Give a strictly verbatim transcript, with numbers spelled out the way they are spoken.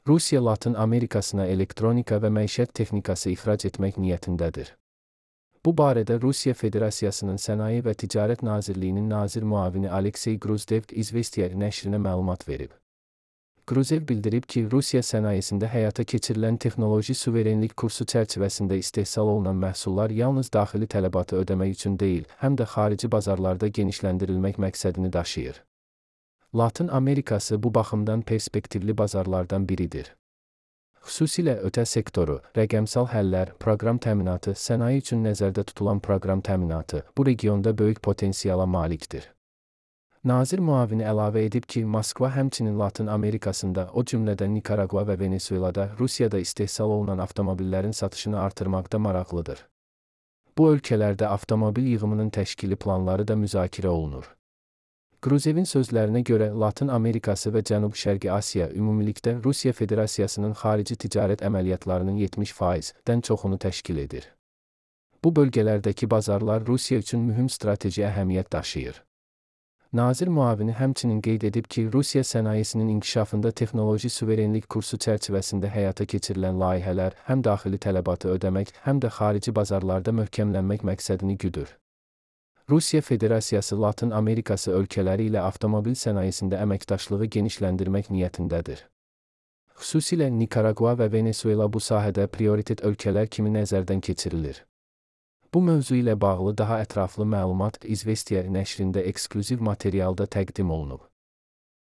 Rusiya Latın Amerikasına elektronika və məişət texnikası ixrac etmək niyyətindədir. Bu barədə Rusiya Federasiyasının Sənaye və Ticarət Nazirliyinin nazir müavini Aleksey Gruzdev İzvestiya nəşrinə məlumat verib. Gruzev bildirib ki, Rusiya sənayesində həyata keçirilən texnoloji suverenlik kursu çərçivəsində istehsal olunan məhsullar yalnız daxili tələbatı ödəmək üçün deyil, həm də xarici bazarlarda genişləndirilmək məqsədini daşıyır. Latın Amerikası bu baxımdan perspektivli bazarlardan biridir. Xüsusilə ötə sektoru, rəqəmsal həllər, proqram təminatı, sənaye üçün nəzərdə tutulan proqram təminatı bu regionda böyük potensiala malikdir. Nazir müavini əlavə edib ki, Moskva həmçinin Latın Amerikasında, o cümlədən Nikaragua və Venezuelada, Rusiyada istehsal olunan avtomobillərin satışını artırmaqda maraqlıdır. Bu ölkələrdə avtomobil yığımının təşkili planları da müzakirə olunur. Gruzevin sözlərinə görə Latın Amerikası və Cənub-Şərqi Asiya ümumilikdə Rusiya Federasiyasının xarici ticarət əməliyyatlarının yetmiş faizdən çoxunu təşkil edir. Bu bölgələrdəki bazarlar Rusiya üçün mühüm strateji əhəmiyyət daşıyır. Nazir müavini həmçinin qeyd edib ki, Rusiya sənayesinin inkişafında texnoloji suverenlik kursu çərçivəsində həyata keçirilən layihələr həm daxili tələbatı ödəmək, həm də xarici bazarlarda möhkəmlənmək məqsədini güdür. Rusiya Federasiyası Latın Amerikası ölkələri ilə avtomobil sənayesində əməkdaşlığı genişləndirmək niyyətindədir. Xüsusilə Nikaragua və Venezuela bu sahədə prioritet ölkələr kimi nəzərdən keçirilir. Bu mövzu ilə bağlı daha ətraflı məlumat İzvestiya nəşrində eksklüziv materialda təqdim olunub.